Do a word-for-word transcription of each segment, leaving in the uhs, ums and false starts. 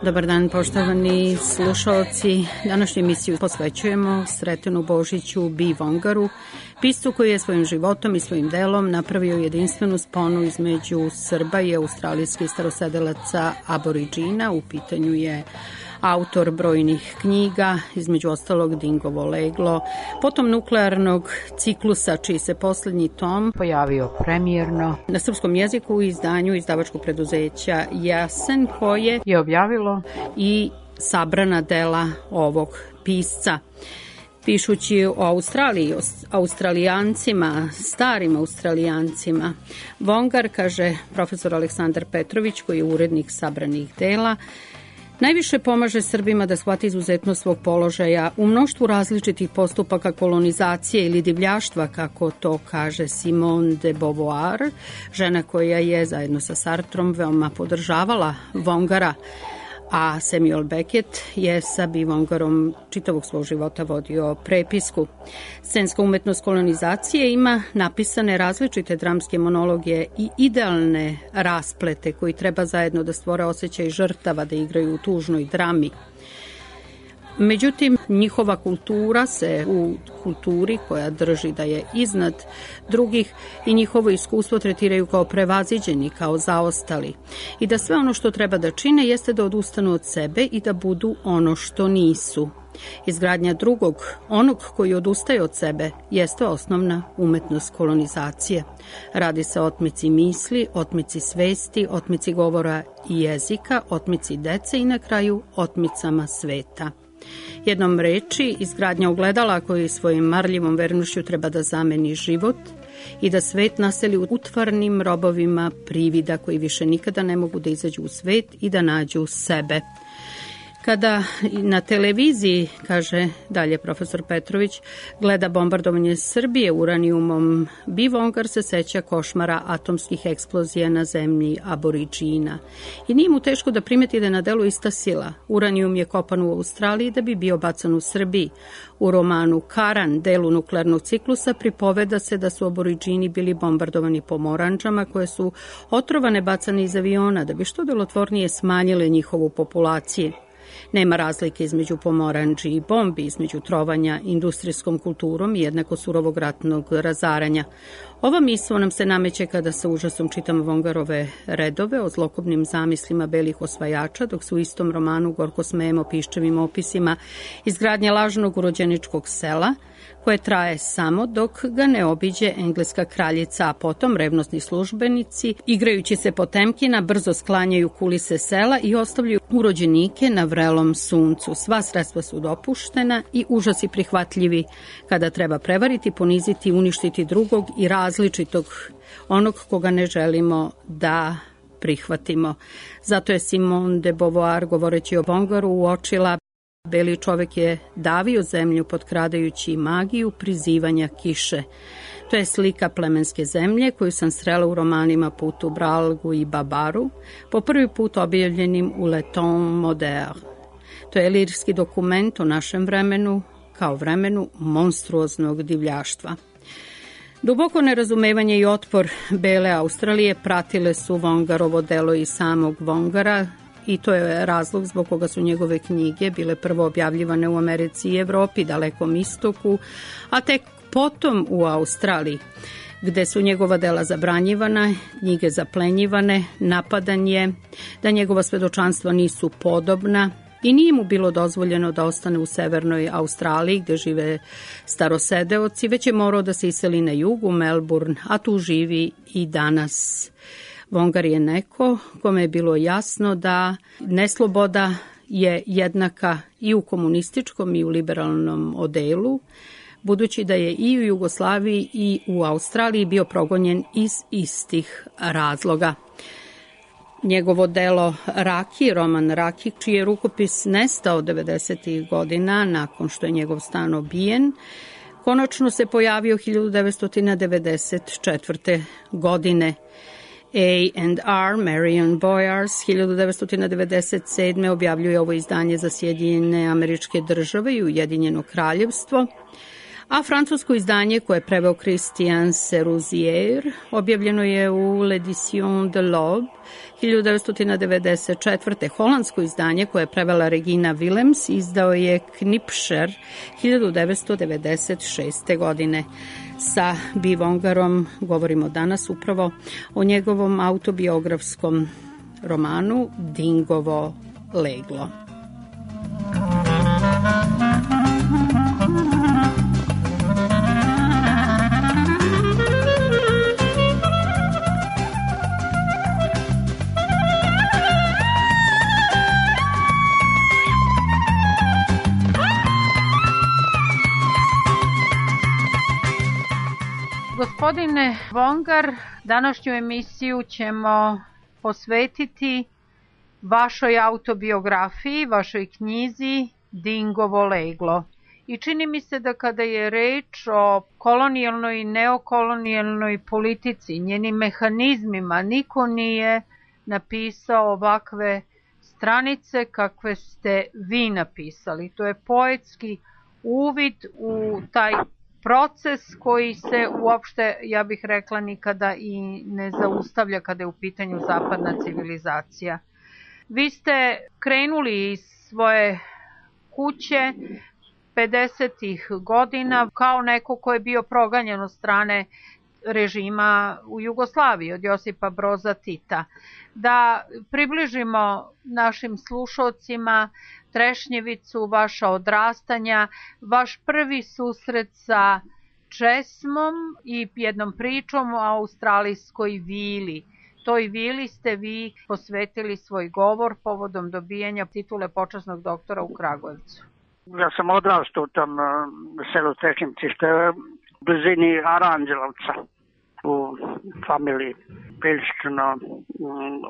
Dobar dan, poštovani slušalci. Današnju emisiju posvećujemo Sretenu Božiću B. Vongaru, piscu koji je svojim životom i svojim delom napravio jedinstvenu sponu između Srba i australijskih starosedelaca aboriđina. U pitanju je autor brojnih knjiga, između ostalog Dingovo leglo, potom nuklearnog ciklusa, čiji se poslednji tom pojavio premijerno na srpskom jeziku u izdanju izdavačkog preduzeća Jasen, koje je objavilo i sabrana dela ovog pisca. Pišući o Australiji, o Australijancima, starim Australijancima, Vongar, kaže profesor Aleksandar Petrović, koji je urednik sabranih dela, najviše pomaže Srbima da shvati izuzetnost svog položaja u mnoštvu različitih postupaka kolonizacije ili divljaštva, kako to kaže Simone de Beauvoir, žena koja je zajedno sa Sartrom veoma podržavala Vongara, a Samuel Beckett je sa B. Vongarom čitavog svog života vodio prepisku. Scenska umetnost kolonizacije ima napisane različite dramske monologe i idealne rasplete koji treba zajedno da stvore osjećaj žrtava, da igraju u tužnoj drami. Međutim, njihova kultura se u kulturi koja drži da je iznad drugih i njihovo iskustvo tretiraju kao prevaziđeni, kao zaostali. I da sve ono što treba da čine jeste da odustanu od sebe i da budu ono što nisu. Izgradnja drugog, onog koji odustaje od sebe, jeste osnovna umetnost kolonizacije. Radi se o otmici misli, otmici svesti, otmici govora i jezika, otmici dece i na kraju otmicama sveta. Jednom reči, izgradnja ogledala koji svojim marljivom vernošću treba da zameni život i da svet naseli utvarnim robovima privida koji više nikada ne mogu da izađu u svet i da nađu sebe. Kada na televiziji, kaže dalje profesor Petrović, gleda bombardovanje Srbije uranijumom, B. Vongar se seća košmara atomskih eksplozija na zemlji aboriđina. I nije mu teško da primeti da je na delu ista sila. Uranijum je kopan u Australiji da bi bio bacan u Srbiji. U romanu Karan, delu nuklearnog ciklusa, pripoveda se da su aboriđini bili bombardovani pomoranđama koje su otrovane bacane iz aviona da bi što delotvornije smanjile njihovu populaciju. Nema razlike između pomoranđi i bombi, između trovanja industrijskom kulturom i jednako surovog ratnog razaranja. Ova misao nam se nameće kada sa užasom čitamo Vongarove redove o zlokobnim zamislima belih osvajača, dok se u istom romanu gorko smejemo piščevim opisima izgradnja lažnog urođeničkog sela, koje traje samo dok ga ne obiđe engleska kraljica, a potom revnosni službenici, igrajući se Potemkina, brzo sklanjaju kulise sela i ostavljaju urođenike na vrelom suncu. Sva sredstva su dopuštena i užasi prihvatljivi kada treba prevariti, poniziti, uništiti drugog i različitog, onog koga ne želimo da prihvatimo. Zato je Simone de Beauvoir, govoreći o Vongaru, uočila: beli čovek je davio zemlju potkradajući magiju prizivanja kiše. To je slika plemenske zemlje koju sam srela u romanima Put u Bralgu i Babaru, po prvi put objavljenim u Le Temps Moderne. To je lirski dokument o našem vremenu kao vremenu monstruoznog divljaštva. Duboko nerazumevanje i otpor bele Australije pratile su Vongarovo delo i samog Vongara, i to je razlog zbog koga su njegove knjige bile prvo objavljivane u Americi i Evropi, Dalekom istoku, a tek potom u Australiji, gde su njegova dela zabranjivana, knjige zaplenjivane, napadan je da njegova svedočanstva nisu podobna i nije mu bilo dozvoljeno da ostane u severnoj Australiji gde žive starosedeoci, već je morao da se iseli na jugu, Melbourne, a tu živi i danas. Vongar je neko kome je bilo jasno da nesloboda je jednaka i u komunističkom i u liberalnom odelu, budući da je i u Jugoslaviji i u Australiji bio progonjen iz istih razloga. Njegovo delo Raki, roman Raki, čiji je rukopis nestao devedesetih godina nakon što je njegov stan obijen, konačno se pojavio hiljadu devetsto devedeset četvrte. godine. A and R, Marion Boyars, hiljadu devetsto devedeset sedme. objavljuje ovo izdanje za Sjedinjene Američke Države i Ujedinjeno Kraljevstvo, a francusko izdanje koje je preveo Christian Seruzier objavljeno je u L'Edition de l'Aube hiljadu devetsto devedeset četvrte. Holandsko izdanje koje je prevela Regina Willems izdao je Knipscher hiljadu devetsto devedeset šeste. godine. Sa B. Vongarom govorimo danas upravo o njegovom autobiografskom romanu Dingovo leglo. Gospodine Vongar, današnju emisiju ćemo posvetiti vašoj autobiografiji, vašoj knjizi Dingovo leglo. I čini mi se da kada je reč o kolonijalnoj i neokolonijalnoj politici, njenim mehanizmima, niko nije napisao ovakve stranice kakve ste vi napisali. To je poetski uvid u taj proces koji se uopšte, ja bih rekla, nikada i ne zaustavlja kada je u pitanju zapadna civilizacija. Vi ste krenuli iz svoje kuće pedesetih godina kao neko ko je bio proganjan od strane režima u Jugoslaviji, od Josipa Broza Tita. Da približimo našim slušalcima trešnjevicu, vaša odrastanja, vaš prvi susret sa česmom i jednom pričom o australijskoj vili. Toj vili ste vi posvetili svoj govor povodom dobijanja titule počasnog doktora u Kragujevcu. Ja sam odrastao u tom selu Trešnjevci, što je u blizini Aranđelovca, u familiji prilično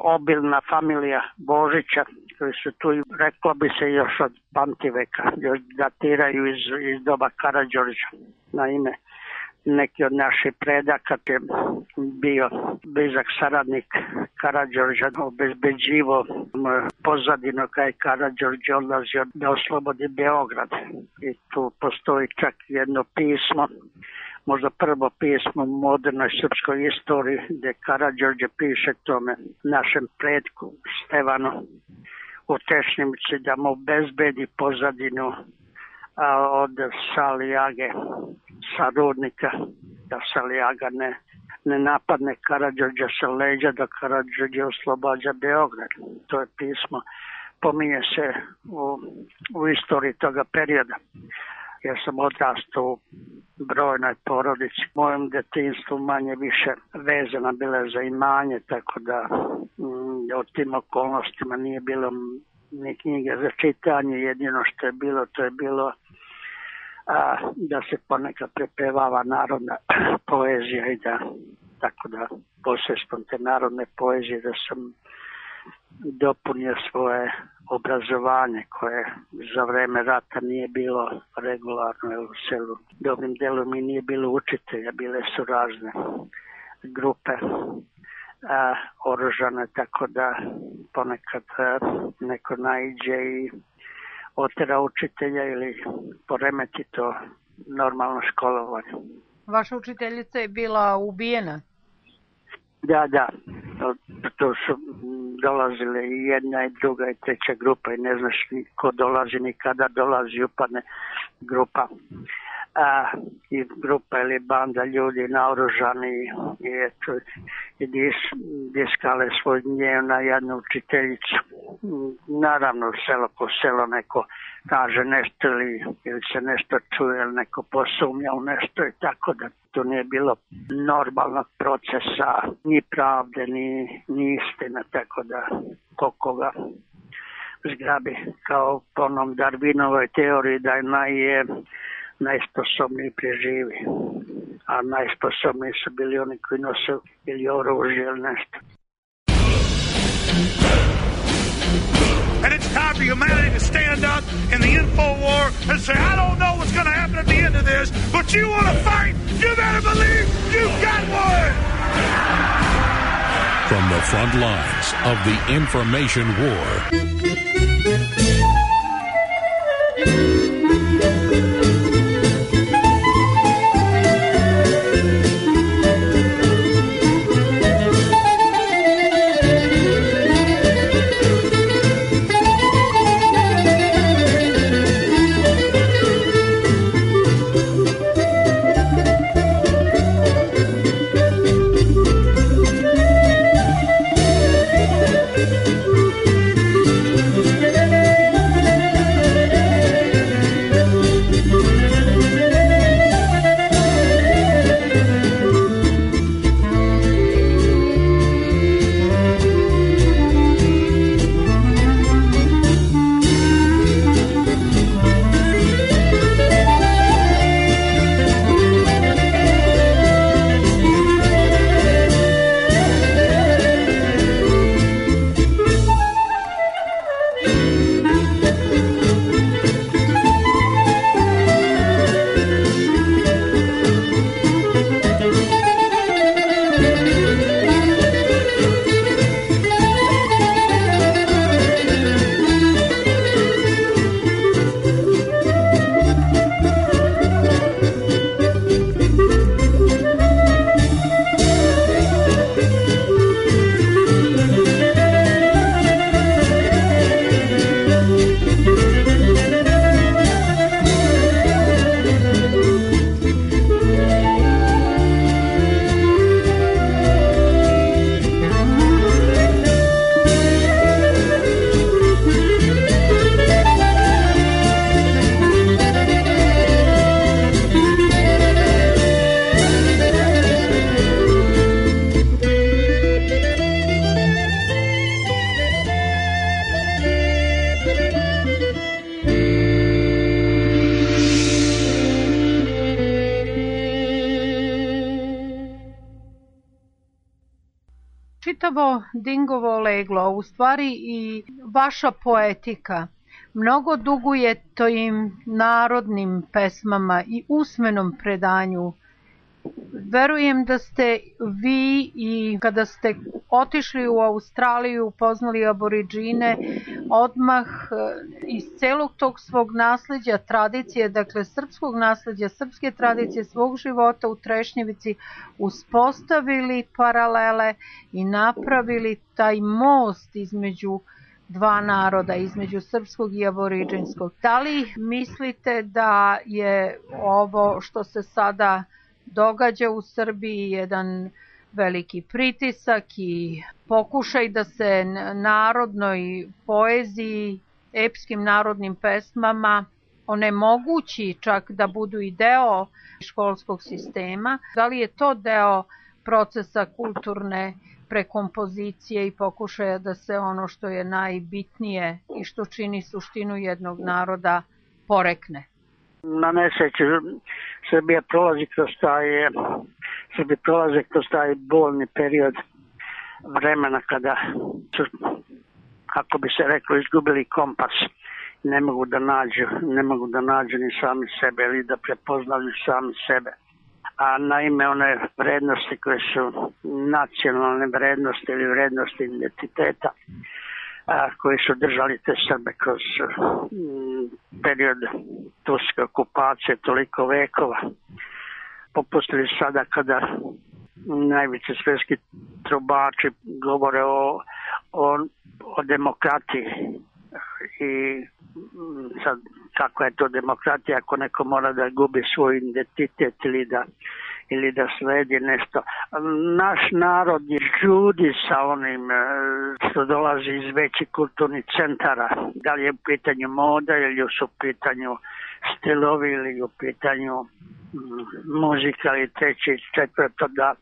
obilna familija Božića, koji su tu, reklo bi se, još od pamtiveka, još datiraju iz, iz doba Karađorđa. Naime, neki od naših predaka je bio blizak saradnik Karađorđa, obezbeđivo pozadino kada je Karađorđe odlazio da oslobodi Beograd. I tu postoji čak jedno pismo, možda prvo pismo u modernoj srpskoj istoriji, gde Karađorđe piše tome našem predku Stevanu u Trešnjevci da mu obezbedi pozadinu a, od Salijage, sa rudnika, da Salijaga ne, ne napadne Karađorđa sa leđa, da Karađorđe oslobađa Beograd. To je pismo, pominje se u, u istoriji toga perioda. Ja sam odrastao u brojnoj porodici. U mojem detinjstvu manje više vezana bila za imanje, tako da mm, o tim okolnostima nije bilo ni knjige za čitanje. Jedino što je bilo, to je bilo a, da se ponekad prepevava narodna poezija i da, tako da posredstvom te narodne poezije da sam dopunio svoje obrazovanje koje za vreme rata nije bilo regularno, jer u selu dobrim delom i nije bilo učitelja, bile su razne grupe a, oružane, tako da ponekad a, neko naiđe i otera učitelja ili poremeti to normalno školovanje. Vaša učiteljica je bila ubijena? Da, da. To su dolazile i jedna i druga i treća grupa i ne znaš ni ko dolazi ni kada dolazi, upadne grupa. A, i grupa ili banda ljudi naoružani i eto i dis, diskale svoj gnjev na jednu učiteljicu. Naravno selo po selo neko kaže nešto ili, ili se nešto čuje ili neko posumnja u nešto i tako da to nije bilo normalnog procesa ni pravde ni, ni istina, tako da ko koga zgrabi, kao po onom Darwinovoj teoriji da je naj, najsposobniji preživi, a najsposobniji su bili oni koji nose ili oružje ili nešto. And it's time for humanity to stand up in the info war and say, I don't know what's going to happen at the end of this, but you want to fight, you better believe you've got one! From the front lines of the information war. Čitavo Dingovo leglo, u stvari i vaša poetika, mnogo duguje tojim narodnim pesmama i usmenom predanju. Verujem da ste vi i kada ste otišli u Australiju, upoznali aboriđine, odmah iz celog tog svog nasleđa, tradicije, dakle srpskog nasleđa, srpske tradicije, svog života u Trešnjevici uspostavili paralele i napravili taj most između dva naroda, između srpskog i aboriđinskog. Da li mislite da je ovo što se sada događa u Srbiji jedan veliki pritisak i pokušaj da se narodnoj poeziji, epskim narodnim pesmama onemogući čak da budu i deo školskog sistema? Da li je to deo procesa kulturne prekompozicije i pokušaja da se ono što je najbitnije i što čini suštinu jednog naroda porekne? Na nesreću Srbija prolazi kroz taj, Srbija prolazi kroz taj bolni period vremena kada su, kako bi se reklo, izgubili kompas. Ne mogu da nađu, ne mogu da nađu ni sami sebe ili da prepoznaju sami sebe. A naime one vrednosti koje su nacionalne vrednosti ili vrednosti identiteta, a, koji su držali te Srbe kroz m, period turske okupacije toliko vekova, popustili sada kada najveći svjetski trubači govore o, o, o demokratiji i sad kako je to demokratija ako neko mora da gubi svoj identitet ili da ili da sledi nešto. Naš narod je žudi sa onim što dolazi iz većih kulturnih centara. Da li je u pitanju moda ili su u pitanju stilovi ili u pitanju muzika ili treći, četvrto, da,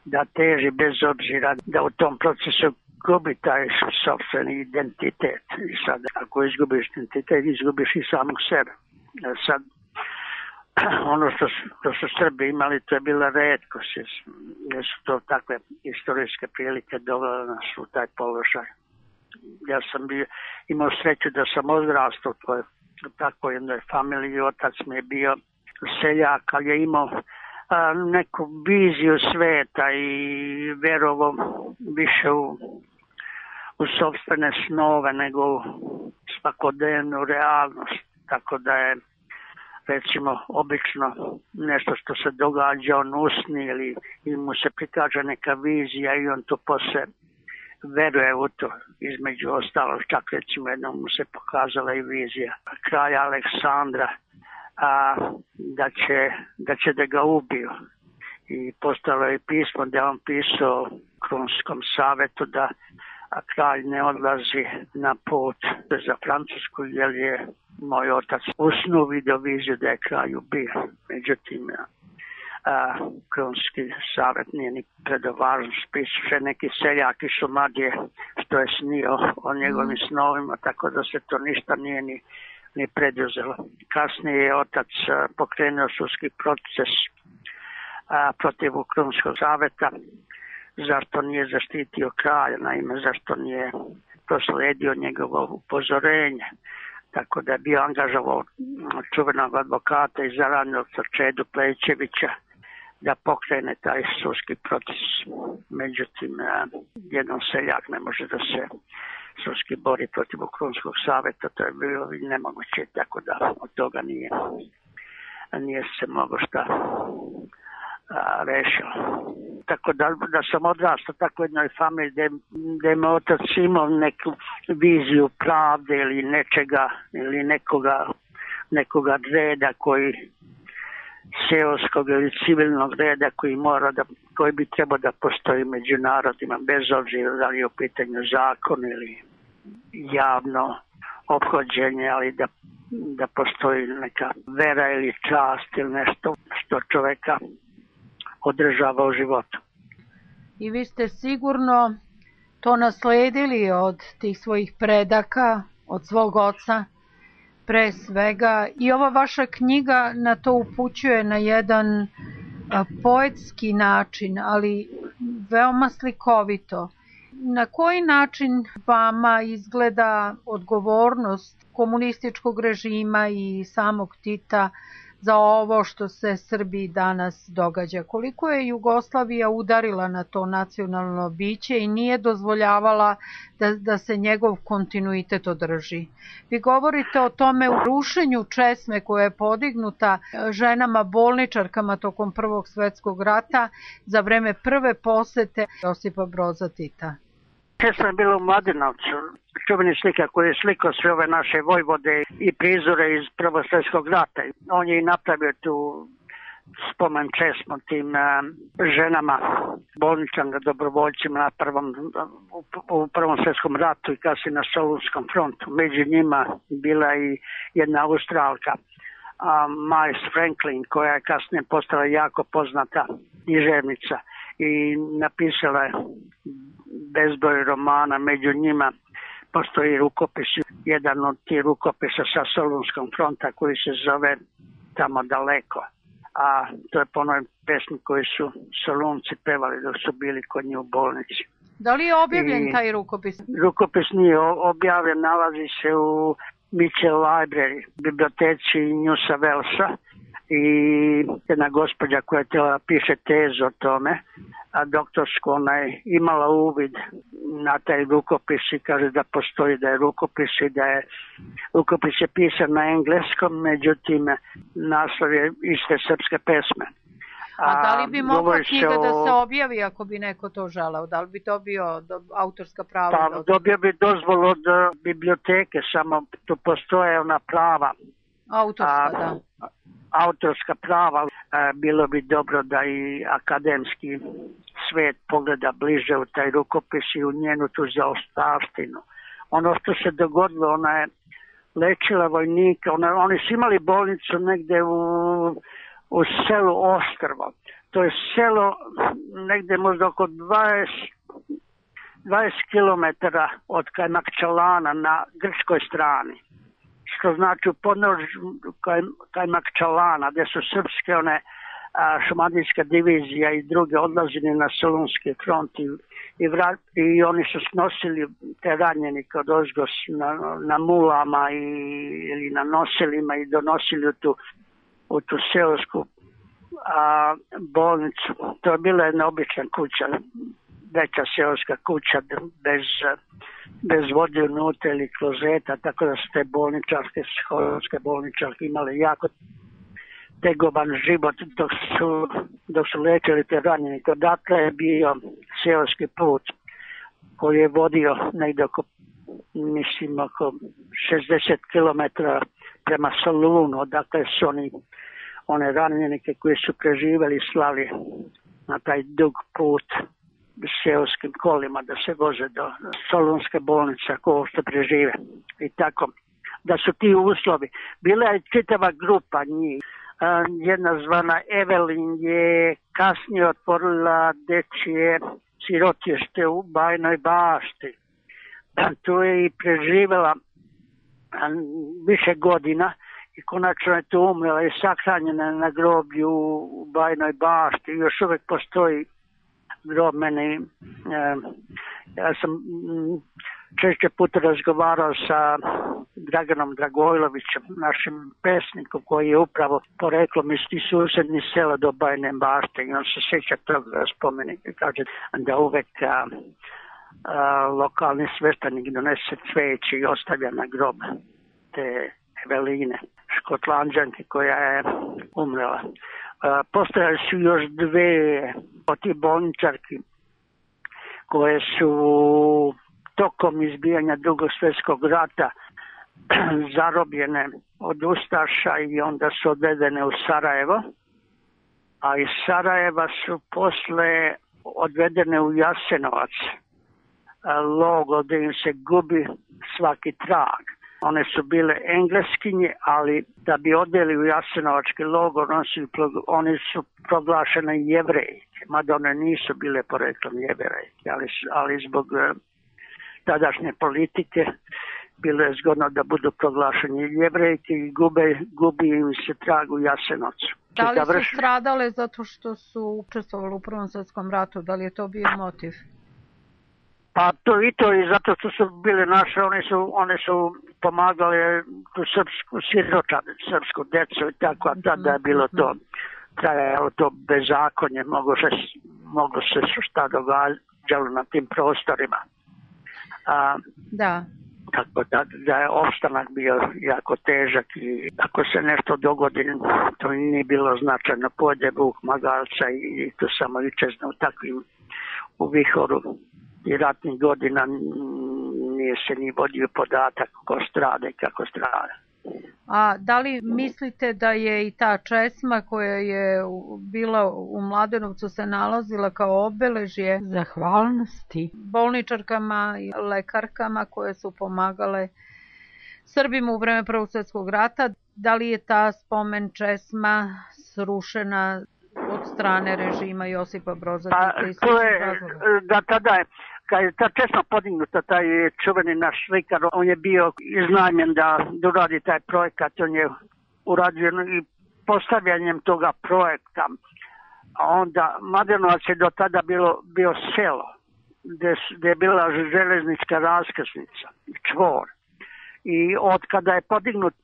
da teži bez obzira da u tom procesu izgubi taj sopstveni identitet. I sad, ako izgubiš identitet, izgubiš i samog sebe. Sad, ono što, što su Srbi imali, to je bila retkost, jer su to takve istorijske prilike dovele nas u taj položaj. Ja sam bio, imao sreću da sam odrastao u takvoj jednoj familiji, otac mi je bio seljak, ali je imao a, neku viziju sveta i verovo više u, u sopstvene snove nego u svakodnevnu realnost, tako da je recimo obično nešto što se događa, on usni ili, ili mu se prikaže neka vizija i on to posle veruje u to. Između ostalog, čak recimo jednom mu se pokazala i vizija kralja Aleksandra, a, da, će, da će da ga ubiju. I postalo je pismo da on pisao Krunskom savetu da a kralj ne odlazi na put za Francusku, jer je moj otac u snu vidio viziju da je kralj ubio. Međutim, a, Krunski savjet nije ni predovažan spis, še neki seljak iz Šumadije što je snio o njegovim snovima, tako da se to ništa nije ni, ni preduzelo. Kasnije je otac a, pokrenuo sudski proces a, protiv Krunskog savjeta, zašto nije zaštitio kralja, naime zašto nije prosledio njegovo upozorenje. Tako da je bio angažovao čuvenog advokata iz Zaranovca Čedu Plečevića da pokrene taj sudski proces. Međutim, jedan seljak ne može da se sudski bori protiv Krunskog savjeta, to je bilo nemoguće, tako da od toga nije, nije se moglo šta a, rešilo. Tako da, da sam odrastao tako jednoj familiji gde, gde me otac imao neku viziju pravde ili nečega, ili nekoga, nekoga reda koji seoskog ili civilnog reda koji mora da, koji bi trebao da postoji među narodima, bez obzira da li je u pitanju zakon ili javno ophođenje, ali da, da postoji neka vera ili čast ili nešto što čoveka održava u životu. I vi ste sigurno to nasledili od tih svojih predaka, od svog oca, pre svega. I ova vaša knjiga na to upućuje na jedan a, poetski način, ali veoma slikovito. Na koji način vama izgleda odgovornost komunističkog režima i samog Tita za ovo što se Srbiji danas događa? Koliko je Jugoslavija udarila na to nacionalno biće i nije dozvoljavala da, da se njegov kontinuitet održi? Vi govorite o tome u rušenju česme koja je podignuta ženama bolničarkama tokom Prvog svetskog rata za vreme prve posete Josipa Broza Tita. Česma je bila u Mladenovcu, čuveni slika koji je slikao sve ove naše vojvode i prizore iz Prvog svjetskog rata. On je i napravio tu spomen česmu tim uh, ženama, bolničarima, dobrovoljcima na prvom, u, u Prvom svjetskom ratu i kasnije na Solunskom frontu. Među njima bila i jedna Australka, uh, Miles Franklin, koja je kasnije postala jako poznata književnica i napisala je bezbroj romana, među njima postoji rukopis, jedan od tih rukopisa sa Solunskog fronta koji se zove Tamo daleko. A to je po onoj pesmi koji su Solunci pevali dok su bili kod njih u bolnici. Da li je objavljen I, taj rukopis? Rukopis nije objavljen, nalazi se u Mitchell Library, biblioteci New South Walesa, i jedna gospođa koja je tela piše tezu o tome, a doktorsku, ona je imala uvid na taj rukopis i kaže da postoji, da je rukopis i da je rukopis je pisan na engleskom, međutim naslov je iste srpske pesme. A, a da li bi mogla knjiga o... da se objavi ako bi neko to želeo? Da li bi to bio do, autorska prava? Pa dobio bi dozvolu od uh, biblioteke, samo tu postoje ona prava. Autorska, a, da. Autorska prava, a, bilo bi dobro da i akademski svet pogleda bliže u taj rukopis i u njenu tu zaostavštinu. Ono što se dogodilo, ona je lečila vojnika, ona, oni su imali bolnicu negde u, u selu Ostrvo. To je selo negde možda oko dvadeset dvadeset kilometara od Kajmakčalana na grčkoj strani. Što znači u podnožju Kajmakčalana, gdje su srpske one šumadijska divizija i druge odlazili na Solunski front i, i, vrat, i oni su snosili te ranjenike od ozgos na, na mulama i, ili na nosilima i donosili u tu, u tu seosku a, bolnicu. To je bila jedna obična kuća, veća seoska kuća bez, bez vode unutra ili klozeta, tako da su te bolničarske, seoske bolničarke imale jako tegoban život dok su, dok su lečili te ranjenike. Odatle je bio seoski put koji je vodio negdje oko, mislim, oko šezdeset kilometara prema Solunu, odakle su oni one ranjenike koji su preživjeli slali na taj dug put seoskim kolima da se voze do Solunske bolnice ako što prežive. I tako da su ti uslovi. Bila je čitava grupa njih. Jedna zvana Evelin je kasnije otvorila dečije sirotište u Bajnoj Bašti. Tu je i preživjela više godina i konačno je tu umrela i sahranjena na groblju u Bajnoj Bašti. Još uvijek postoji grob meni. Ja sam češće puta razgovarao sa Draganom Dragojlovićem, našim pesnikom koji je upravo poreklom iz tih susjednih sela do Bajne Bašte i on se sjeća toga spomenika. Kaže da uvek a, a, lokalni sveštenik donese cveće i ostavlja na grob te Eveline, Škotlanđanke koja je umrela. Postojali su još dve od tih bolničarki koje su tokom izbijanja Drugog svjetskog rata zarobljene od ustaša i onda su odvedene u Sarajevo, a iz Sarajeva su posle odvedene u Jasenovac, logo gdje im se gubi svaki trag. One su bile Engleskinje, ali da bi odveli u Jasenovački logor, oni su, oni su proglašene Jevrejke, mada one nisu bile poreklom Jevrejke, ali, ali zbog tadašnje politike bilo je zgodno da budu proglašeni Jevrejke i gube, gubi im se trag u Jasenovcu. Da li su stradale zato što su učestvovali u Prvom svjetskom ratu? Da li je to bio motiv? Pa to i to i zato što su bile naše, one su, one su pomagale tu srpsku siročanu, srpsku decu i tako, a tada je bilo to, trajalo to bezakonje, moglo se, moglo se šta događalo na tim prostorima. A, da. Tako da, da je opstanak bio jako težak i ako se nešto dogodi, to nije bilo značajno, pođe Vuk magalca i, i to samo iščezne u takvim, u vihoru i ratnih godina nije se ni vodio podatak ko strade i kako strade. A da li mislite da je i ta česma koja je bila u Mladenovcu se nalazila kao obeležje zahvalnosti bolničarkama i lekarkama koje su pomagale Srbima u vreme Prvog svjetskog rata, da li je ta spomen česma srušena od strane režima Josipa Broza Tita? Pa, to je, da tada je, kad je ta česma podignuta, taj čuveni naš slikar, on je bio iznajmljen da uradi taj projekat, on je uradio i postavljanjem toga projekta. A onda Mladenovac je do tada bilo, bio selo, gdje, gdje je bila železnička raskrsnica, čvor. I od kada je podignut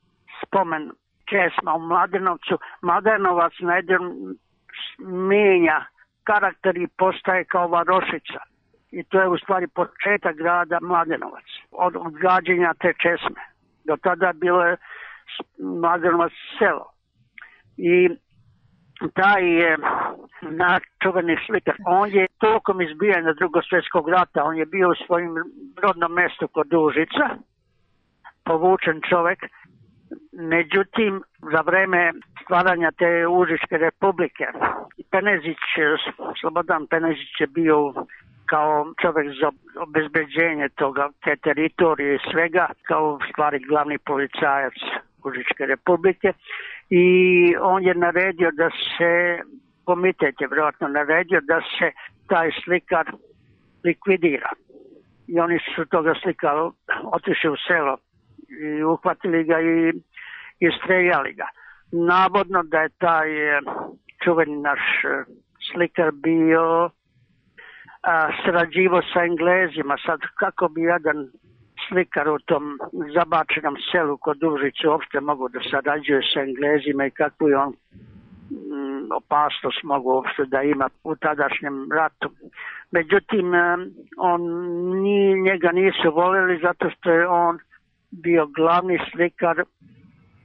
spomen česma u Mladenovcu, Mladenovac na jedan mijenja karakter i postaje kao varošica. I to je u stvari početak grada Mladenovac, od odgađenja te česme. Do tada bilo je Mladenovac selo. I taj je naš čuveni slikar, on je tokom izbijanja Drugog svjetskog rata, on je bio u svojim rodnom mjestu kod Užica, povučen čovjek. Međutim, za vreme stvaranja te Užičke republike, Penezić, Slobodan Penezić je bio kao čovjek za obezbeđenje toga, te teritorije i svega, kao stvari glavni policajac Užičke republike. I on je naredio da se, komitet je vjerojatno naredio da se taj slikar likvidira. i oni su toga slika otišli u selo i uhvatili ga i, i streljali ga. Navodno da je taj čuveni naš slikar bio a, sarađivo sa Englezima. Sad kako bi jedan slikar u tom zabačenom selu kod Užice uopšte mogu da sarađuje sa Englezima i kakvu je on m, opasnost mogu uopšte da ima u tadašnjem ratu. Međutim, on, ni, njega nisu voljeli zato što je on bio glavni slikar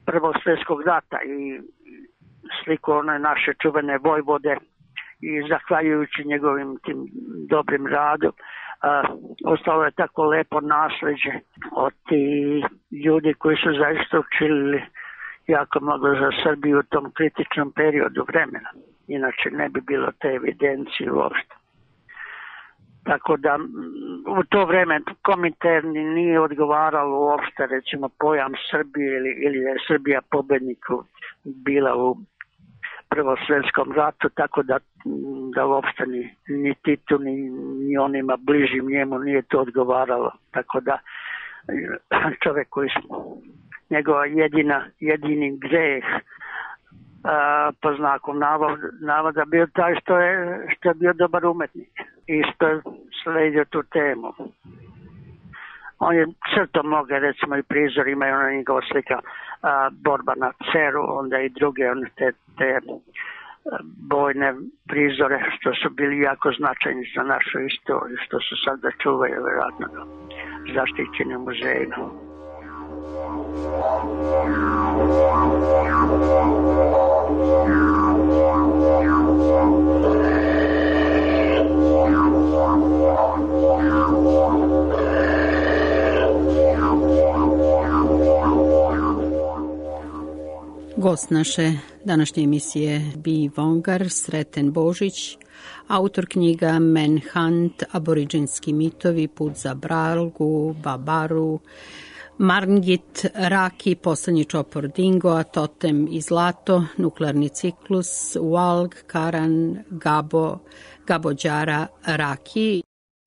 Prvog svjetskog rata i sliku one naše čuvene vojvode i zahvaljujući njegovim tim dobrim radu a, ostalo je tako lepo nasleđe od tih ljudi koji su zaista učinili jako mnogo za Srbiju u tom kritičnom periodu vremena. Inače ne bi bilo te evidencije uopšte. Tako da u to vreme Kominterni nije odgovaralo uopšte recimo pojam Srbije ili, ili je Srbija pobedniku bila u Prvom svjetskom ratu, tako da, da uopšte ni, ni Titu ni, ni onima bližim njemu nije to odgovaralo. Tako da čovjek koji su njegova jedina, jedini greh a, po znaku navoda, navoda bio taj što je, što je bio dobar umetnik i što je sledio tu temu. On je crto mnoge, recimo i prizor, imaju ona njegova slika a, borba na Ceru, onda i druge one te, te bojne prizore što su bili jako značajni za našu istoriju, što su sad da čuvaju vjerojatno zaštićeni u muzejima. Gost naše današnje emisije B. Vongar, Sreten Božić, autor knjiga Manhunt, aboriđinski mitovi, Put za Bralgu, Babaru, Marngit, Raki, Poslednji čopor Dingoa, Totem i Zlato, Nuklearni ciklus, Walg, Karan, Gabo, Gabođara, Raki.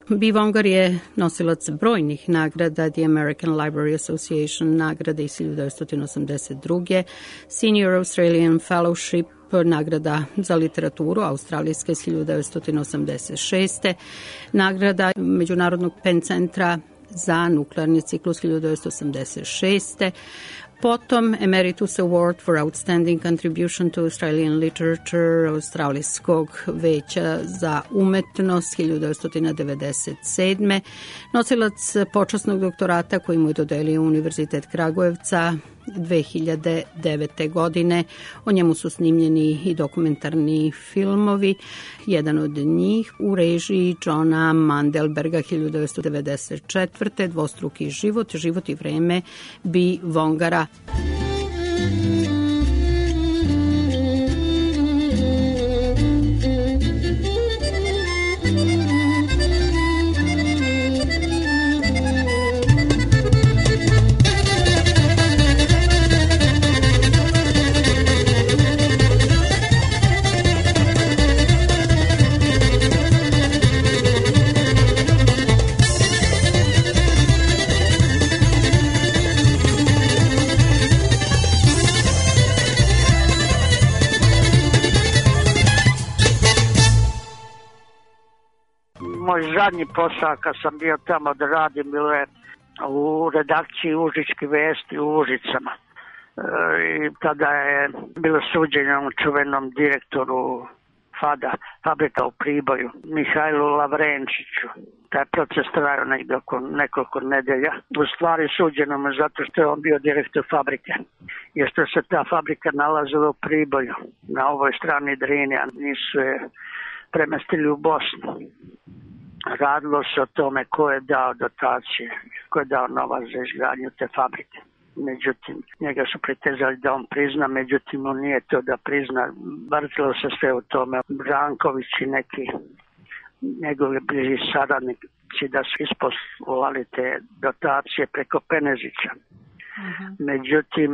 B. Vongar je nosilac brojnih nagrada, The American Library Association nagrade iz hiljadu devetsto osamdeset druge. Senior Australian Fellowship nagrada za literaturu australijska iz hiljadu devetsto osamdeset šeste. Nagrada Međunarodnog Penn centra za nuklearni ciklus hiljadu devetsto osamdeset šeste. Potom Emeritus Award for Outstanding Contribution to Australian Literature Australijskog veća za umetnost hiljadu devetsto devedeset sedme. Nosilac počasnog doktorata koji mu je dodelio Univerzitet Kragujevca dve hiljade devete. godine. O njemu su snimljeni i dokumentarni filmovi. Jedan od njih u režiji Johna Mandelberga hiljadu devetsto devedeset četvrte. Dvostruki život, život i vreme B. Vongara. Moj zadnji posao kad sam bio tamo da radim bilo je u redakciji Užičke vesti u Užicama. E, I tada je bilo suđenje čuvenom direktoru Fada, fabrika u Priboju, Mihajlu Lavrenčiću. Taj proces trajao negdje oko nekoliko nedelja. U stvari suđeno mu zato što je on bio direktor fabrike. Jer što se ta fabrika nalazila u Priboju, na ovoj strani Drine, a nisu je premestili u Bosnu. Radilo se o tome ko je dao dotacije, ko je dao novac za izgradnju te fabrike. Međutim, njega su pritezali da on prizna, međutim on nije to da prizna. Vrtilo se sve u tome. Branković i neki njegovi bliži saradnici da su isposlovali te dotacije preko Penezića. Uh-huh. Međutim,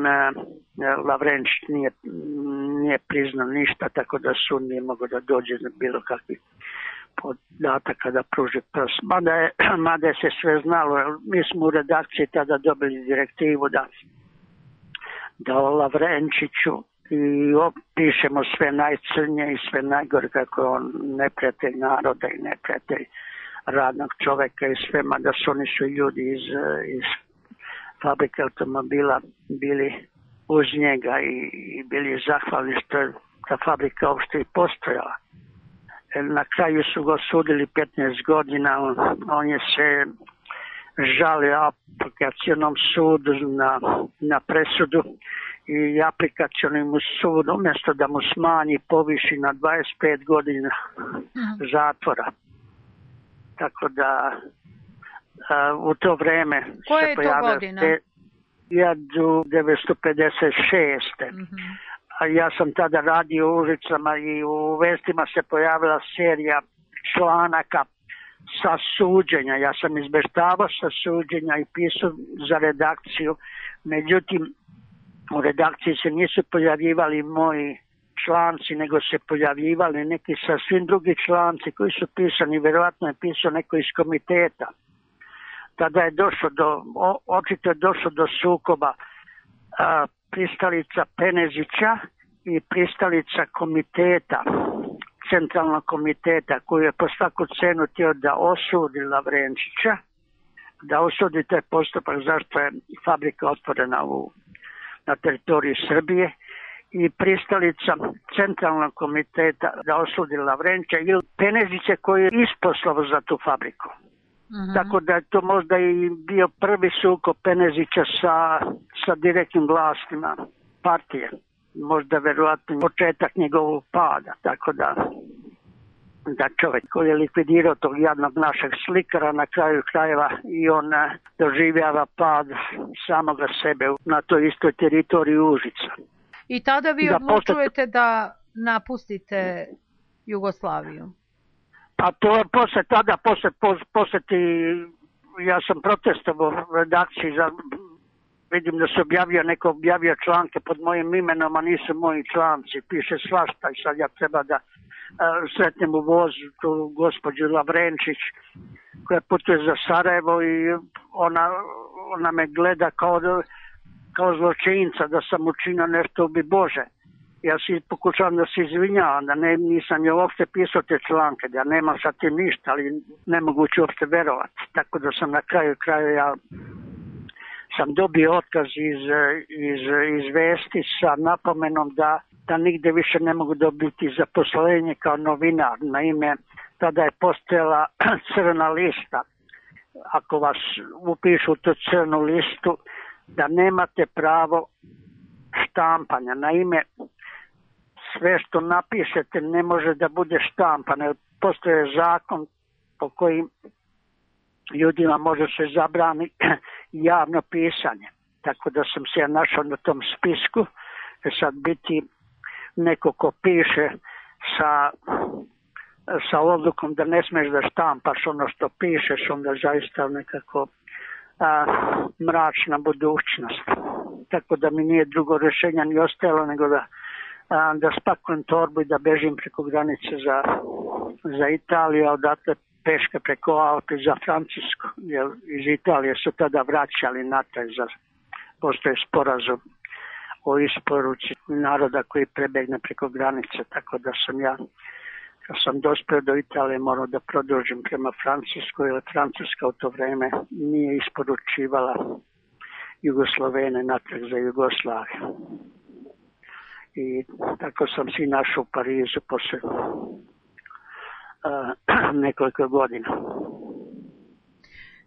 Lavrenčić nije, nije priznao ništa, tako da sud nije mogao da dođe na bilo kakvi podataka da pruži prst. Mada je, mada je se sve znalo, jer mi smo u redakciji tada dobili direktivu da, da o Lavrenčiću i opišemo sve najcrnje i sve najgore, kako je on neprijatelj naroda i neprijatelj radnog čoveka i sve, mada su oni su ljudi iz, iz fabrike automobila bili uz njega i, i bili zahvalni što je ta fabrika uopšte i postojala. Na kraju su ga osudili petnaest godina, on, on je se žalio aplikacionom sudu na, na presudu i aplikacionim sud umjesto da mu smanji poviši na dvadeset pet godina zatvora. Tako da a, u to vreme Koje se je to pojavio godina? hiljadu devetsto pedeset šeste. Mm-hmm. A ja sam tada radio u ulicama i u vestima se pojavila serija članaka sa suđenja. Ja sam izbeštavao sa suđenja i pisao za redakciju. Međutim, u redakciji se nisu pojavljivali moji članci, nego se pojavljivali neki sasvim drugi članci koji su pisani, vjerojatno je pisao neko iz komiteta. Tada je došlo do, o, očito je došlo do sukoba a, pristalica Penezića i pristalica komiteta, centralnog komiteta, koji je po svaku cenu htio da osudi Lavrenčića, da osudi taj postupak zašto je fabrika otvorena u, na teritoriji Srbije, i pristalica centralnog komiteta da osudi Lavrenčića ili Penezića koji je isposlao za tu fabriku. Mm-hmm. Tako da je to možda i bio prvi sukob Penezića sa, sa direktnim vlastima partije. Možda verovatno početak njegovog pada. Tako da, da čovjek koji je likvidirao tog jadnog našeg slikara na kraju krajeva i on doživljava pad samoga sebe na toj istoj teritoriji Užica. I tada vi da odlučujete posle... da napustite Jugoslaviju? Pa to posle tada, posle, posle ti, ja sam protestovao u redakciji, za, vidim da se objavio, neko objavio članke pod mojim imenom, a nisu moji članci, piše svašta i sad ja treba da uh, sretnem u vozu tu gospođu Lavrenčić koja putuje za Sarajevo i ona, ona me gleda kao, kao zločinca da sam učinio nešto ubi Bože. Ja si pokušavam da se izvinjavam, da ne, nisam je uopšte pisao te članke, da ja nemam sa tim ništa, ali nemoguće uopšte verovati. Tako da sam na kraju kraju ja sam dobio otkaz iz, iz, iz vesti sa napomenom da, da nigde više ne mogu dobiti zaposlenje kao novinar. Naime, tada je postojala crna lista. Ako vas upišu u tu crnu listu, da nemate pravo štampanja. Naime, sve što napišete ne može da bude štampano. Postoje zakon po kojim ljudima može se zabrani javno pisanje. Tako da sam se ja našao na tom spisku. Sad biti neko ko piše sa, sa odlukom da ne smeš da štampaš ono što pišeš, onda zaista nekako a, mračna budućnost. Tako da mi nije drugo rješenja ni ostajalo nego da da spakujem torbu i da bežim preko granice za, za Italiju, a odatle peške preko Alpi za Francusku, jer iz Italije su tada vraćali natrag, za postoje sporazum o isporuci naroda koji prebegne preko granice, tako da sam ja, kad sam dospio do Italije, morao da produžim prema Francuskoj, jer Francuska u to vreme nije isporučivala Jugoslovene natrag za Jugoslaviju. I tako sam si našao u Parizu posle uh, nekoliko godina.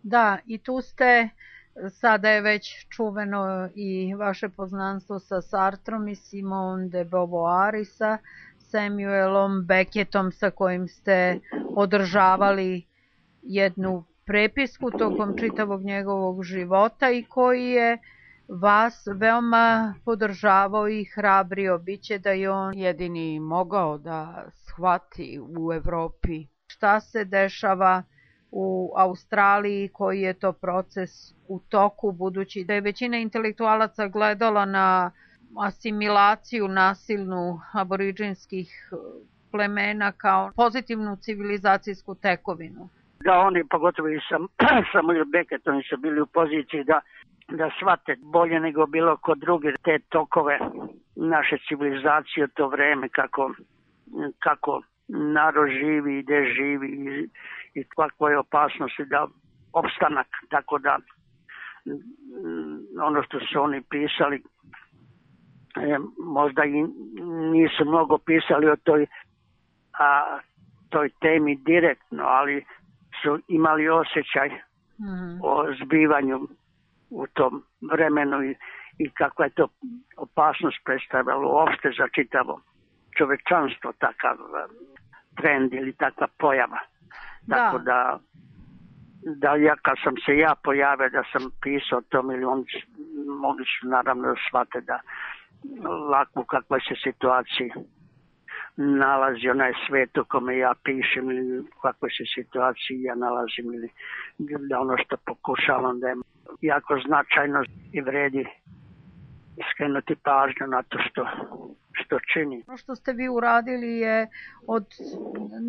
Da, i tu ste, sada je već čuveno i vaše poznanstvo sa Sartrom i Simone de Beauvoir i sa Samuelom Beckettom sa kojim ste održavali jednu prepisku tokom čitavog njegovog života i koji je vas veoma podržavao i hrabrio. Biće da je on jedini mogao da shvati u Evropi šta se dešava u Australiji, koji je to proces u toku, budući da je većina intelektualaca gledala na asimilaciju nasilnu aboriđinskih plemena kao pozitivnu civilizacijsku tekovinu. Da, oni, pogotovo i sam, Samuel Beckett, oni su bili u poziciji da, da shvate bolje nego bilo kod druge te tokove naše civilizacije to vreme, kako, kako narod živi i gde živi i, i kakva je opasnost da opstanak, tako da ono što su oni pisali, e, možda i nisu mnogo pisali o toj, a, toj temi direktno, ali su imali osjećaj mm. o zbivanju u tom vremenu i, i kakva je to opasnost predstavljalo uopšte za čitavo čovečanstvo, takav trend ili takva pojava. Da. Tako da, da ja kad sam se ja pojavio da sam pisao to, ili oni mogli su naravno da shvate da lako u kakvoj se situaciji nalazi onaj svet u kome ja pišem ili u kakvoj se situaciji ja nalazim ili da ono što pokušavam da je jako značajno i vredi skrenuti pažnju na to što, što čini. Ono što ste vi uradili je od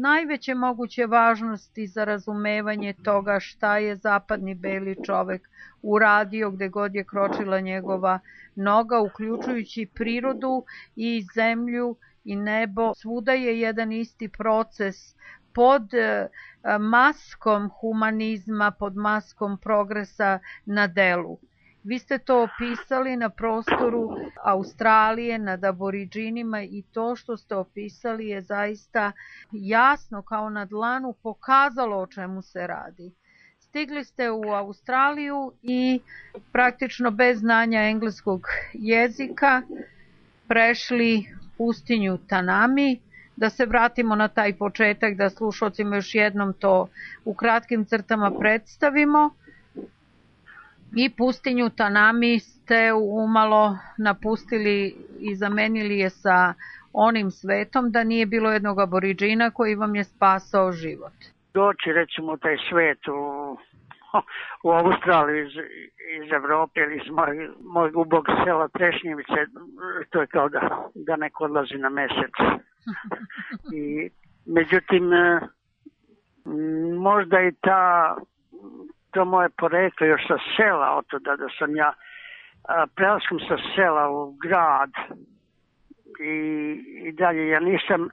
najveće moguće važnosti za razumevanje toga šta je zapadni beli čovek uradio gde god je kročila njegova noga, uključujući prirodu i zemlju i nebo. Svuda je jedan isti proces pod maskom humanizma, pod maskom progresa na delu. Vi ste to opisali na prostoru Australije, nad Aboriđinima i to što ste opisali je zaista jasno kao na dlanu pokazalo o čemu se radi. Stigli ste u Australiju i praktično bez znanja engleskog jezika prešli pustinju Tanami. Da se vratimo na taj početak, da slušalcima još jednom to u kratkim crtama predstavimo. I pustinju Tanami ste umalo napustili i zamenili je sa onim svetom da nije bilo jednog aboriđina koji vam je spasao život. Doći recimo taj svet u, u Australiju iz, iz Evrope ili iz moj, mojeg ubog sela Trešnjevice, to je kao da, da neko odlazi na mesec. I, međutim, možda i ta to moje poreklo još sa sela, od toga da sam ja prelaskom sa sela u grad i, i dalje ja nisam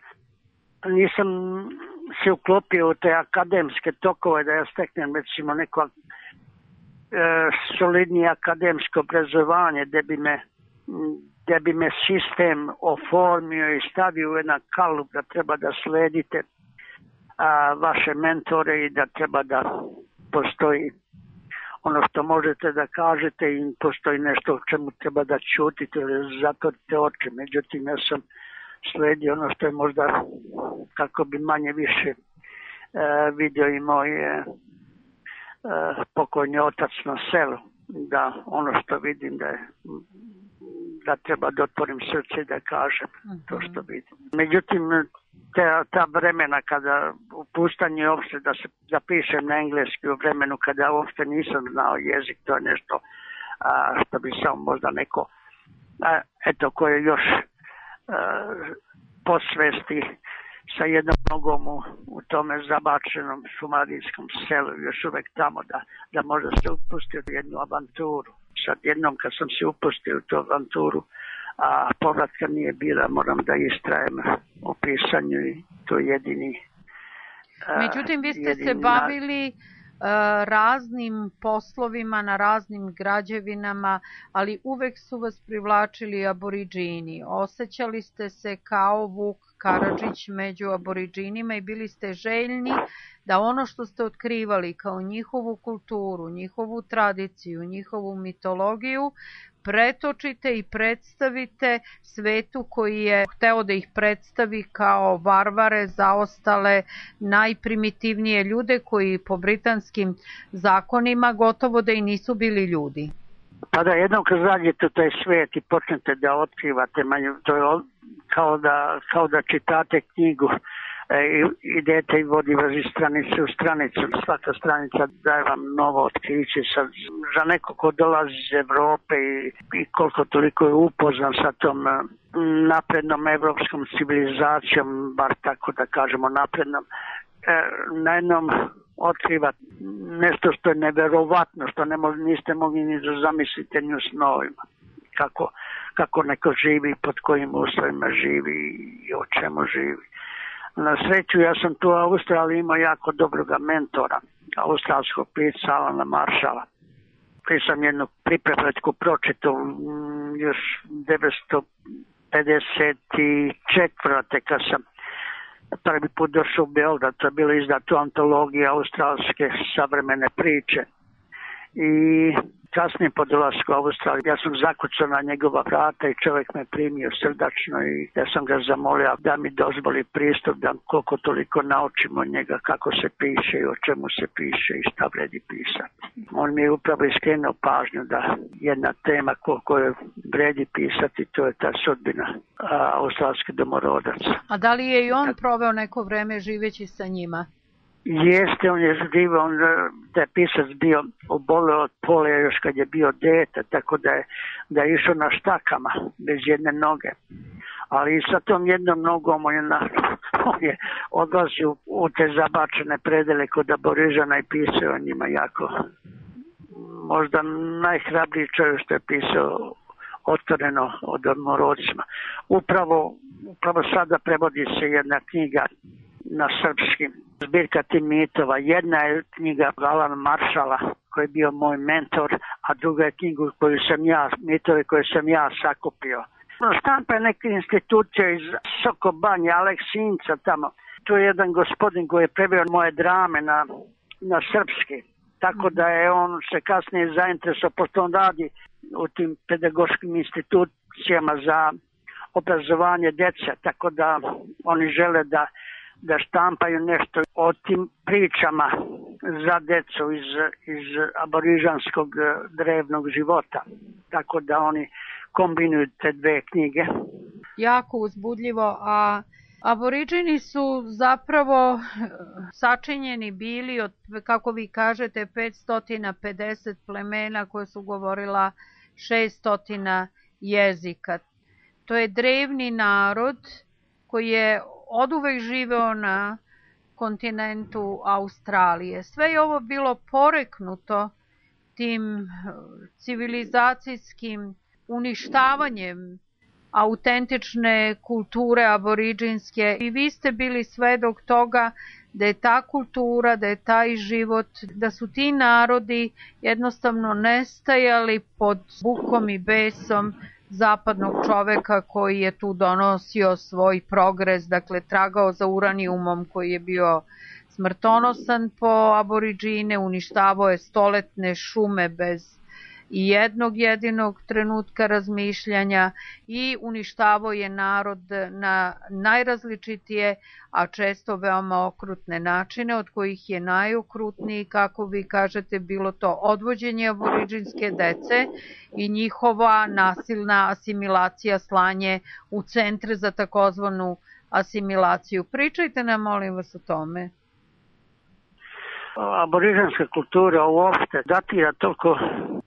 nisam se uklopio u te akademske tokove da ja steknem recimo neko e, solidnije akademsko obrazovanje gde bi me gde bi me sistem oformio i stavio u jedan kalup da treba da sledite a, vaše mentore i da treba da postoji ono što možete da kažete i postoji nešto o čemu treba da ćutite ili zatvorite oči. Međutim, ja sam sledio ono što je možda kako bi manje više e, vidio i moj e, pokojni otac na selu, da ono što vidim da je da treba da otvorim srce i da kažem to što vidim. Međutim, te, ta vremena kada u pustanju uopšte da se zapišem na engleski u vremenu kada uopšte nisam znao jezik, to je nešto a, što bi samo možda neko a, eto koje još a, posvesti sa jednom nogom u, u tome zabačenom šumadijskom selu, još uvek tamo da, da možda se upustio u jednu avanturu. Sad jednom kad sam se upustio u tu avanturu, a povratka nije bila, moram da istrajem u pisanju i to jedini. Međutim, vi ste se bavili raznim poslovima na raznim građevinama, ali uvek su vas privlačili Aboriđini. Osećali ste se kao Vuk Karadžić među Aboriđinima i bili ste željni da ono što ste otkrivali kao njihovu kulturu, njihovu tradiciju, njihovu mitologiju pretočite i predstavite svetu koji je hteo da ih predstavi kao varvare, zaostale, najprimitivnije ljude koji po britanskim zakonima gotovo da i nisu bili ljudi. Pa da, jednom kad zađete u taj svet i počnete da otkrivate, to je kao da, kao da čitate knjigu i, idete i vodi vas iz stranice u stranicu. Svaka stranica daje vam novo otkriće. Sad, za neko ko dolazi iz Evrope i, i koliko toliko je upoznan sa tom naprednom evropskom civilizacijom, bar tako da kažemo naprednom, na jednom otkriva nešto što je neverovatno, što ne mo, niste mogli ni da zamislite ni u snovima. Kako, kako neko živi, pod kojim uslovima živi i o čemu živi. Na sreću, ja sam tu u Australiji imao jako dobroga mentora, australskog pisca Alana Marshalla. Prije sam jednu priprepletku pročitao još devetsto pedeset četvrte kad sam prvi put došao u Beograd, to je bilo izdato antologija australske savremene priče. I kasnije po dolasku u Australiju ja sam zakucao na njegova vrata i čovjek me primio srdačno i ja sam ga zamolio da mi dozvoli pristup, da koliko toliko naučimo od njega kako se piše i o čemu se piše i šta vredi pisati. On mi je upravo iskrenuo pažnju da jedna tema koju vredi pisati, to je ta sudbina australskih domorodaca. A da li je i on proveo neko vreme živeći sa njima? Jeste, on je živio, on da je pisac bio oboleo od polija još kad je bio dete, tako da je, da je išao na štakama, bez jedne noge. Ali i sa tom jednom nogom on je, na, on je odlazio u te zabačene predele kod Aborižana i pisao o njima jako. Možda najhrabriji čovjek što je pisao otvoreno o domorodcima. Upravo, upravo sada prevodi se jedna knjiga na srpski, zbirka tih mitova. Jedna je knjiga Alana Marshalla, koji je bio moj mentor, a druga je knjiga koju sam ja, mitove koje sam ja sakupio. Štampa je neka institucija iz Sokobanje, Aleksinca tamo. Tu je jedan gospodin koji je preveo moje drame na, na srpski. Tako da je on se kasnije zainteresovao, pošto on radi u tim pedagoškim institucijama za obrazovanje djece, tako da oni žele da da štampaju nešto o tim pričama za decu iz, iz aborižanskog drevnog života. Tako da oni kombinuju te dve knjige. Jako uzbudljivo, a aboriđini su zapravo sačinjeni bili od, kako vi kažete, petsto pedeset plemena koje su govorila šeststo jezika. To je drevni narod koji je oduvek živeo na kontinentu Australije. Sve je ovo bilo poreknuto tim civilizacijskim uništavanjem autentične kulture aboriđinske i vi ste bili svedok toga da je ta kultura, da je taj život, da su ti narodi jednostavno nestajali pod bukom i besom zapadnog čoveka koji je tu donosio svoj progres, dakle tragao za uranijumom koji je bio smrtonosan po aboriđine, uništavao je stoletne šume bez i jednog jedinog trenutka razmišljanja i uništavao je narod na najrazličitije, a često veoma okrutne načine, od kojih je najokrutniji, kako vi kažete, bilo to odvođenje aboriđinske dece i njihova nasilna asimilacija, slanje u centre za takozvanu asimilaciju. Pričajte nam, molim vas, o tome. Aborižanska kultura uopšte datira toliko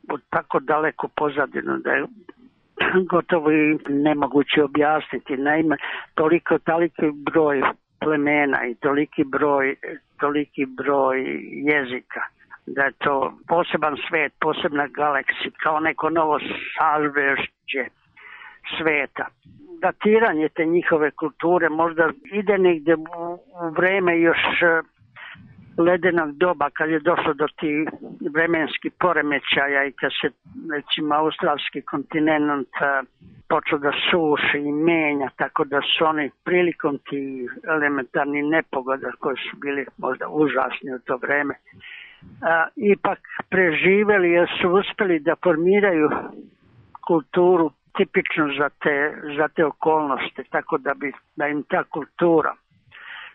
od tako daleko pozadinu da je gotovo i nemoguće objasniti. Naime, toliko, toliki broj plemena i toliki broj, toliki broj jezika, da je to poseban svet, posebna galaksija, kao neko novo sažvešće sveta. Datiranje te njihove kulture možda ide negde u, u vreme još ledenog doba, kad je došlo do tih vremenskih poremećaja i kad se, recimo, australski kontinent počeo da suši i menja, tako da su oni prilikom tih elementarnih nepogoda koji su bili možda užasni u to vreme, a, ipak preživeli jer su uspeli da formiraju kulturu tipičnu za te, za te okolnosti, tako da bi da im ta kultura,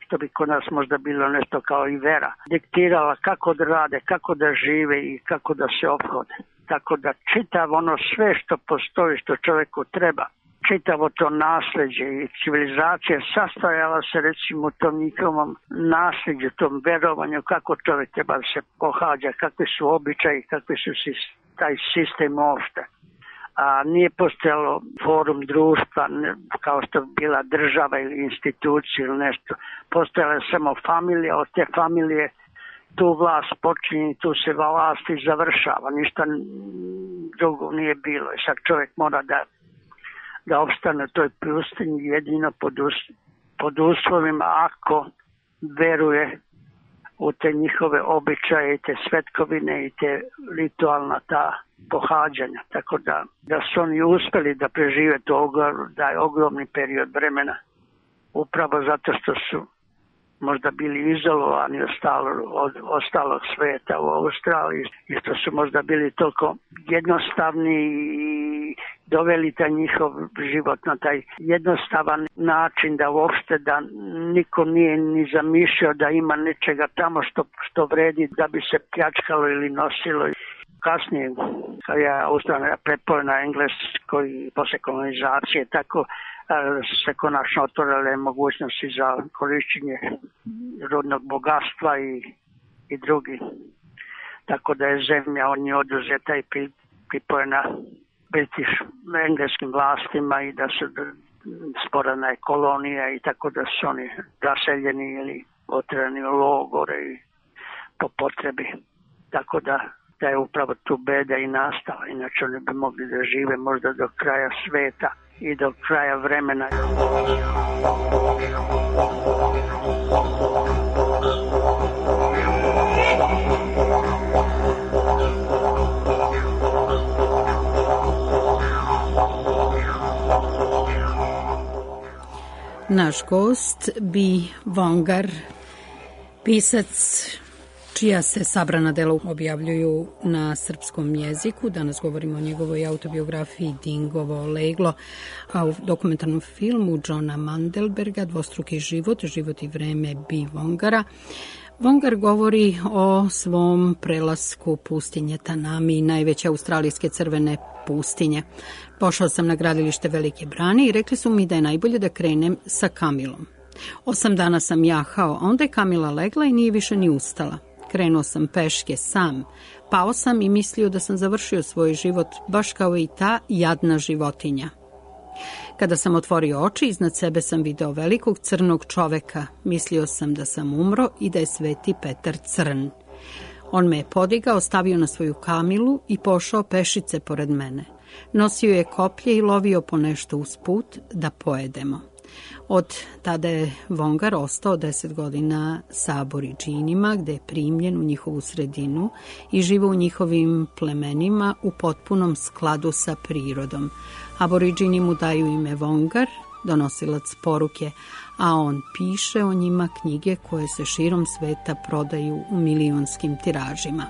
što bi kod nas možda bilo nešto kao i vera, diktirala kako da rade, kako da žive i kako da se ophode. Tako da čitav ono sve što postoji, što čovjeku treba, čitavo to nasleđe i civilizacija sastojala se recimo u tom njihovom nasleđu, tom verovanju kako čovjek treba da se pohađa, kakvi su običaji, kakvi su taj sistem uopšte. A nije postojalo forum društva kao što bi bila država ili institucija ili nešto. Postojala je samo familija, od te familije tu vlast počinje, tu se vlast i završava, ništa drugo nije bilo. I sad čovjek mora da, da opstane u toj pustinji jedino pod, us, pod uslovima ako veruje u te njihove običaje i te svetkovine i te ritualna ta pohađanja. Tako da, da su oni uspeli da prežive to taj ogromni period vremena upravo zato što su možda bili izolovani od, stalo, od ostalog sveta u Australiji i što su možda bili toliko jednostavni i doveli taj njihov život na taj jednostavan način da uopšte da niko nije ni zamišljao da ima nečega tamo što, što vredi da bi se pljačkalo ili nosilo. Kasnije, kad je Australija prepala na engleskoj posle kolonizacije, tako se konačno otvorile mogućnosti za korišćenje rudnog bogatstva i, i drugi. Tako da je zemlja on je oduzeta i pripojena British engleskim vlastima i da su sporana je kolonija i tako da su oni raseljeni ili otvoreni u logore i po potrebi. Tako da da je upravo tu beda i nastala, inače oni bi mogli da žive možda do kraja sveta i do kraja vremena. Naš gost Bi Vongar, pisac čija se sabrana dela objavljuju na srpskom jeziku. Danas govorimo o njegovoj autobiografiji Dingovo leglo, a u dokumentarnom filmu Johna Mandelberga Dvostruki život, život i vreme Bi Vongara. Vongar govori o svom prelasku pustinje Tanami, najveće australijske crvene pustinje. Pošao sam na gradilište Velike brane i rekli su mi da je najbolje da krenem sa Kamilom. Osam dana sam jahao, a onda je Kamila legla i nije više ni ustala. Krenuo sam peške sam, pao sam i mislio da sam završio svoj život, baš kao i ta jadna životinja. Kada sam otvorio oči, iznad sebe sam video velikog crnog čoveka. Mislio sam da sam umro i da je Sveti Petar crn. On me je podigao, stavio na svoju Kamilu i pošao pešice pored mene. Nosio je koplje i lovio po nešto uz put da pojedemo. Od tada je Vongar ostao deset godina sa Aboridžinima, gde je primljen u njihovu sredinu i živo u njihovim plemenima u potpunom skladu sa prirodom. Aboridžini mu daju ime Vongar, donosilac poruke, a on piše o njima knjige koje se širom sveta prodaju u milionskim tiražima.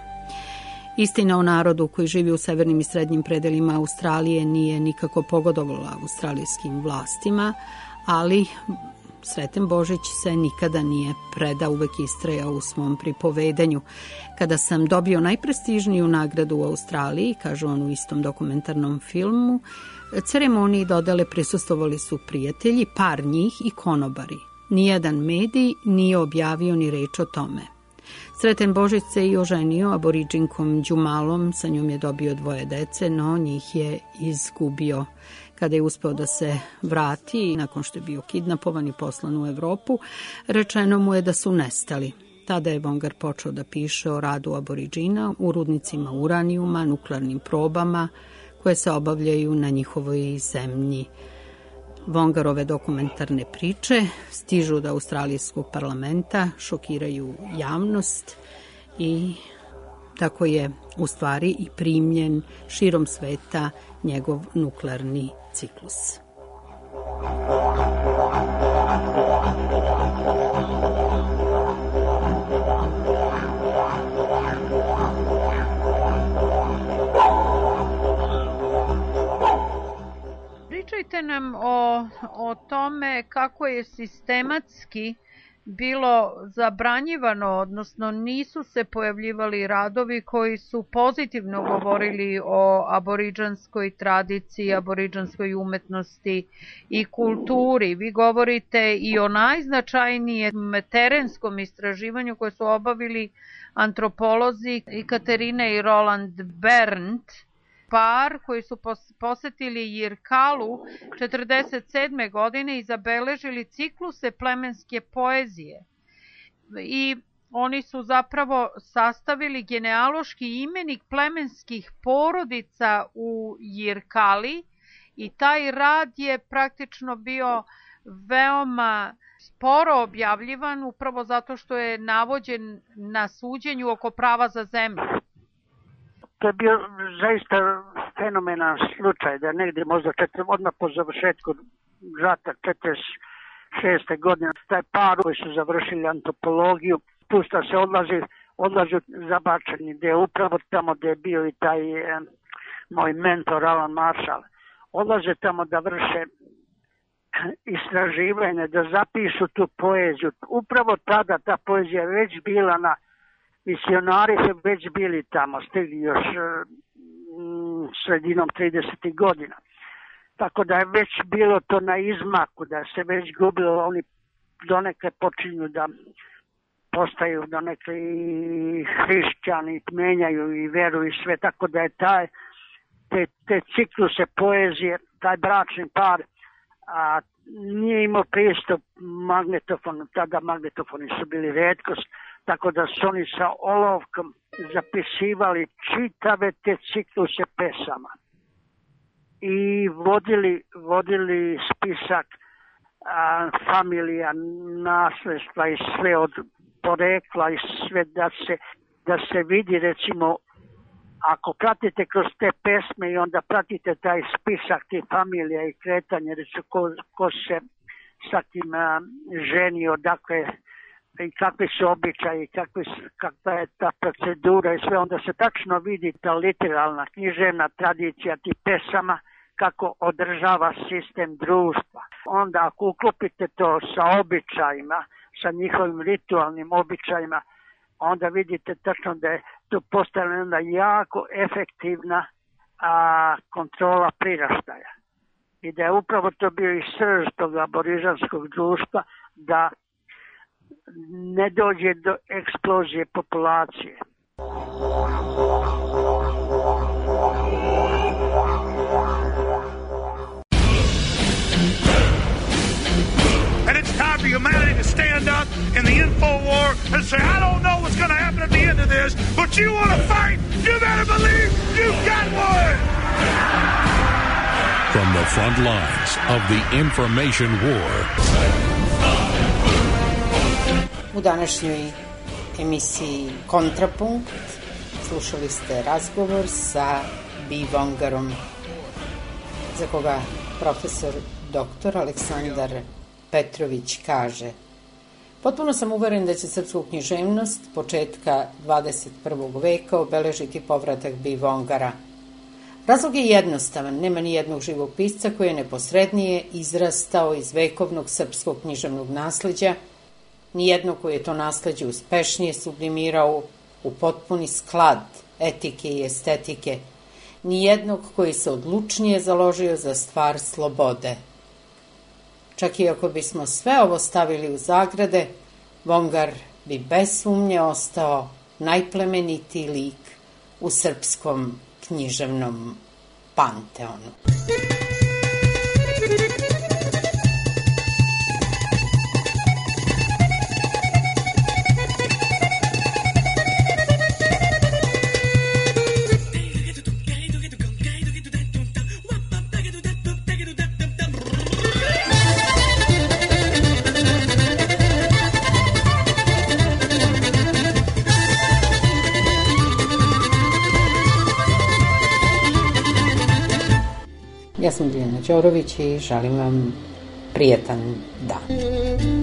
Istina o narodu koji živi u severnim i srednjim predelima Australije nije nikako pogodovala australijskim vlastima, ali Sreten Božić se nikada nije predao, uvek istrajao u svom pripovedanju. Kada sam dobio najprestižniju nagradu u Australiji, kaže on u istom dokumentarnom filmu, ceremoniji dodele prisustvovali su prijatelji, par njih i konobari. Nijedan medij nije objavio ni reč o tome. Sreten Božić se i oženio Aboriđinkom Đumalom, sa njom je dobio dvoje dece, no njih je izgubio. Kada je uspeo da se vrati, nakon što je bio kidnapovan i poslan u Evropu, rečeno mu je da su nestali. Tada je Vongar počeo da piše o radu Aboriđina u rudnicima uranijuma, nuklearnim probama koje se obavljaju na njihovoj zemlji. Vongarove dokumentarne priče stižu do australijskog parlamenta, šokiraju javnost i tako je u stvari i primljen širom sveta njegov nuklearni ciklus. Pričajte nam o, o tome kako je sistematski bilo zabranjivano, odnosno nisu se pojavljivali radovi koji su pozitivno govorili o aboriđanskoj tradiciji, aboriđanskoj umetnosti i kulturi. Vi govorite i o najznačajnijem terenskom istraživanju koje su obavili antropolozi Katerina i Roland Berndt, par koji su posetili Jirkalu četrdeset sedme godine i zabeležili cikluse plemenske poezije. I oni su zapravo sastavili genealoški imenik plemenskih porodica u Jirkali i taj rad je praktično bio veoma sporo objavljivan upravo zato što je navođen na suđenju oko prava za zemlju. To je bio zaista fenomenalan slučaj da negdje možda četiri, odmah po završetku rata četrdeset šeste godine taj par koji su završili antropologiju pusta se odlazi, odlazi zabačeni gdje je upravo tamo gdje je bio i taj eh, moj mentor Alan Marshall. Odlaze tamo da vrše istraživanje, da zapišu tu poeziju. Upravo tada ta poezija je već bila na misionari su već bili tamo, stigli još mm, sredinom tridesetih godina. Tako da je već bilo to na izmaku, da se već gubilo, oni donekle počinju da postaju donekle i hrišćani, menjaju i veru i sve, tako da je taj, te, te cikluse poezije, taj bračni par, a nije imao pristup magnetofonu, tada magnetofoni su bili retkost, tako da su oni sa olovkom zapisivali čitave te cikluse pesama i vodili, vodili spisak a, familija, nasledstva i sve od porekla i sve da se, da se vidi recimo ako pratite kroz te pesme i onda pratite taj spisak tih familija i kretanje, recimo ko, ko se sa kim a, ženi, odakle i kakvi su običaji, kakvi, kakva je ta procedura i sve, onda se tačno vidi ta literalna književna tradicija tih pesama, kako održava sistem društva. Onda ako uklopite to sa običajima, sa njihovim ritualnim običajima, onda vidite tačno da je to postavljena jako efektivna a, kontrola priraštaja. I da je upravo to bio i srž tog aborižanskog društva, da ne dođe do eksplozije populacije. And it's time for humanity to stand up in the info war and say, I don't know what's going to happen at the end of this, but you want to fight, you better believe you've got one! From the front lines of the information war. U današnjoj emisiji Kontrapunkt slušali ste razgovor sa Bee Vongarom, za koga profesor doktor Aleksandar Petrović kaže: potpuno sam uveren da će srpsku književnost početka dvadeset prvog veka obeležiti povratak Bee Vongara. Razlog je jednostavan, nema ni jednog živog pisca koji je neposrednije izrastao iz vekovnog srpskog književnog nasleđa, ni jednog koji je to nasleđe uspešnije sublimirao u potpuni sklad etike i estetike, ni jednog koji se odlučnije založio za stvar slobode. Čak i ako bismo sve ovo stavili u zagrade, Vongar bi bez sumnje ostao najplemenitiji lik u srpskom književnom panteonu. Ja sam Diljana Đorović i želim vam prijetan dan.